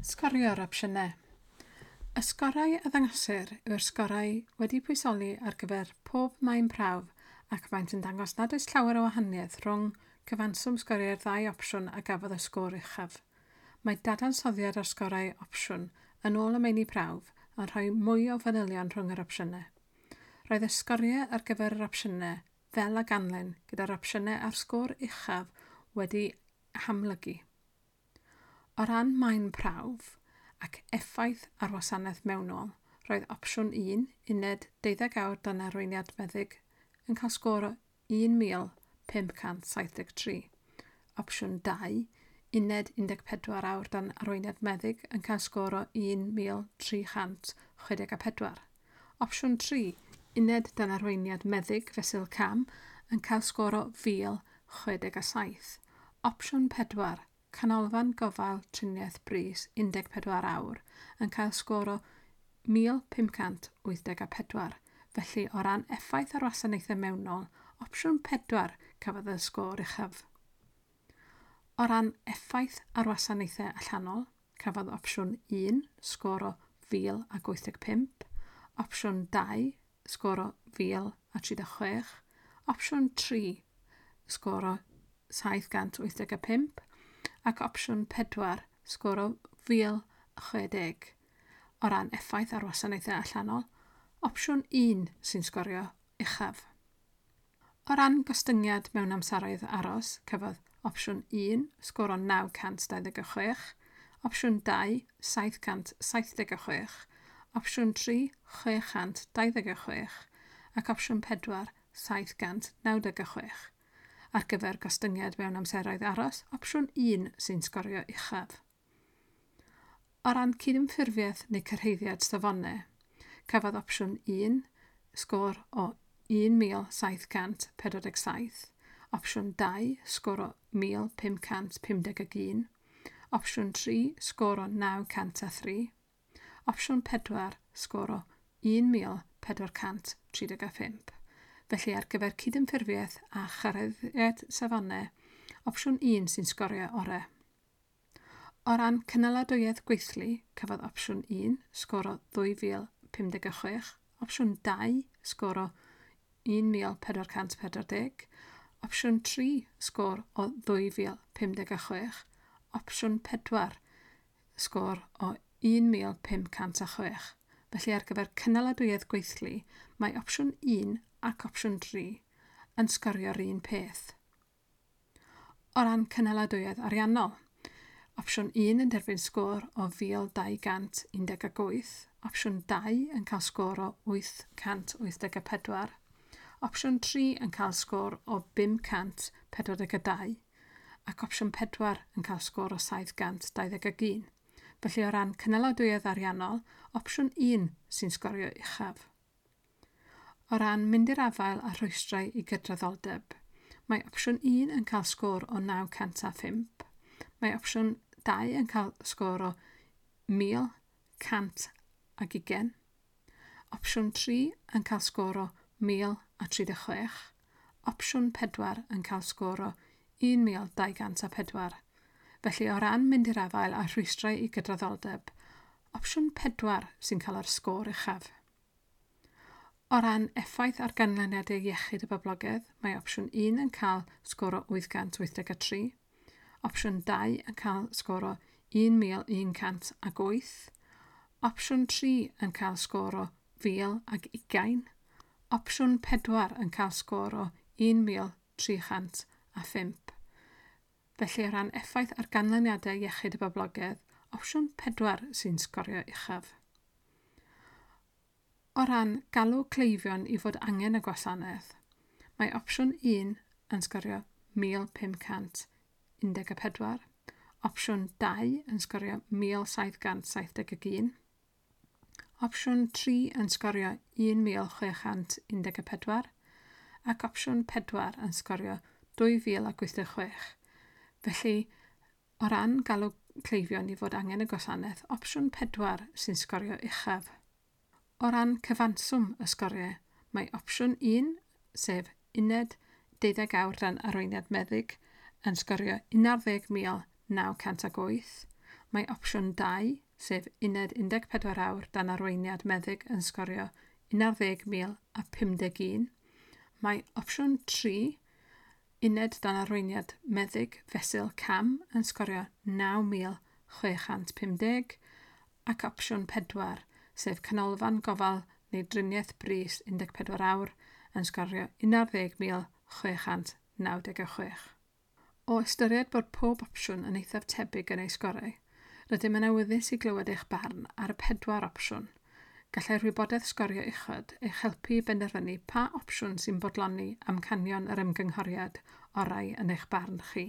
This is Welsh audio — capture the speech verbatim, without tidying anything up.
Sgorio'r opsiynau. Y sgorau a ddangosir yw'r sgorau wedi pwysoli ar gyfer pob maen prawf ac maent yn dangos nad oes llawer o wahaniaeth rhwng cyfanswm sgoriau'r ddau opsiwn a gafodd y sgôr uchaf. Mae dadansoddiad o'r sgorau opsiwn yn ôl y meini prawf yn rhoi mwy o fanylion rhwng yr opsiynau. Roedd y sgoriau ar gyfer yr opsiynau fel a ganlyn gyda'r opsiynau â'r sgôr uchaf wedi hamlygu. O ran maen prawf ac effaith ar wasanaeth mewnol, roedd opsiwn un, uned deuddeg awr dan arweiniad meddyg, yn cael sgôr o un mil pump cant saith deg tri. Opsiwn dau, uned un deg pedwar awr dan arweiniad meddyg, yn cael sgôr o un mil tri chant chwe deg a pedwar. Opsiwn tri, uned dan arweiniad meddyg fesul cam, yn cael sgôr o fil chwe deg a saith. Opsiwn pedwar, canolfan gofal triniaeth brys un deg pedwar awr, yn cael sgôr o mil pump cant wyth deg a pedwar. Felly, o ran effaith ar wasanaethau mewnol, opsiwn pedwar cafodd y sgôr uchaf. O ran effaith ar wasanaethau allanol, cafodd opsiwn un sgôr o fil ac wyth deg pump, opsiwn dau sgôr o fil a tri deg chwech, opsiwn tri sgôr o saith gant wyth deg a pump, ac opsiwn pedwar sgôr o fil chwe deg. O ran effaith ar wasanaethau allanol, opsiwn un sy'n sgorio uchaf. O ran gostyngiad mewn amseroedd aros, cafodd opsiwn un sgôr o naw cant dau ddeg a chwech, opsiwn dau saith cant saith deg a chwech, opsiwn tri chwe chant dau ddeg a chwech ac opsiwn pedwar saith gant naw deg a chwech. Ar gyfer gostyngiad mewn amseroedd aros, opsiwn un sy'n sgorio uchaf. O ran cydymffurfiaeth neu cyrhaeddiad safonau, cafodd opsiwn un sgôr o un mil saith cant pedwar deg saith, opsiwn dau sgôr o mil pum cant pum deg ag un, opsiwn tri sgôr o naw cant a thri, opsiwn pedwar sgôr o un mil pedwar cant tri deg a phump. Felly ar gyfer cydymffurfiaeth a chyrhaeddiad safonau, opsiwn un sy'n sgorio orau. O ran cynaladwyedd gweithlu, cafodd opsiwn un sgôr o ddwy fil pum deg a chwech, opsiwn dau sgôr o un mil pedwar cant pedwar deg, opsiwn tri sgôr o ddwy fil pum deg a chwech, opsiwn pedwar sgôr o un mil pum cant a chwech. Felly ar gyfer cynaladwyedd gweithlu, mae opsiwn un ac opsiwn tri yn sgorio'r un peth. O ran cynaladwyedd ariannol, opsiwn un yn derbyn sgôr o fil dau gant un deg ag wyth, opsiwn dau yn cael sgôr o wyth cant wyth deg a pedwar, opsiwn tri yn cael sgôr o bum cant pedwar deg a dau, ac opsiwn pedwar yn cael sgôr o saith gant dau ddeg ag un. Felly o ran cynaladwyedd ariannol, opsiwn un sy'n sgorio uchaf. O ran mynd i'r afael â rhwystrau i gydraddoldeb, mae opsiwn un yn cael sgôr o naw cant a phump, mae opsiwn dau yn cael sgôr o mil cant ag ugain, opsiwn tri yn cael sgôr o mil a tri deg chwech, opsiwn pedwar yn cael sgôr o un mil dau gant a pedwar. Felly o ran mynd i'r afael â rhwystrau i gydraddoldeb, opsiwn pedwar sy'n cael yr sgôr uchaf. O ran effaith ar ganlyniadau iechyd y boblogaeth, mae opsiwn un yn cael sgôr o wyth gant wyth deg a tri, opsiwn dau yn cael sgôr o un mil un cant ag wyth, opsiwn tri yn cael sgôr o fil ag ugain, opsiwn pedwar yn cael sgôr o un mil tri chant a phump. Felly o ran effaith ar ganlyniadau iechyd y boblogaeth, opsiwn pedwar sy'n sgorio uchaf. O ran galw cleifion i fod angen y gwasanaeth, mae opsiwn un yn sgorio mil pum cant un deg a pedwar, opsiwn dau yn sgorio mil saith gant saith deg ag un, opsiwn tri yn sgorio un mil chwe chant un deg a pedwar, ac opsiwn pedwar yn sgorio dwy fil ac wyth deg chwech. Felly, o ran galw cleifion i fod angen y gwasanaeth, opsiwn pedwar sy'n sgorio uchaf. O ran cyfanswm y sgoriau, mae opsiwn un, sef uned deuddeg awr dan arweiniad meddyg, yn sgorio un ar ddeg mil naw cant ag wyth. Mae opsiwn dau, sef uned un deg pedwar awr dan arweiniad meddyg, yn sgorio un ar ddeg mil a pum deg un. Mae opsiwn tri, uned dan arweiniad meddyg fesul cam, yn sgorio naw mil chwe chant pum deg ac opsiwn pedwar, sef canolfan gofal neu driniaeth brys un deg pedwar awr, yn sgorio un ar ddeg mil chwe chant naw deg chwech. O ystyried bod pob opsiwn yn eithaf tebyg yn ei sgorau, rydym yn awyddus i glywed eich barn ar y pedwar opsiwn. Gallai'r wybodaeth sgorio uchod eich helpu i benderfynu pa opsiwn sy'n bodloni amcanion yr ymgynghoriad orau yn eich barn chi.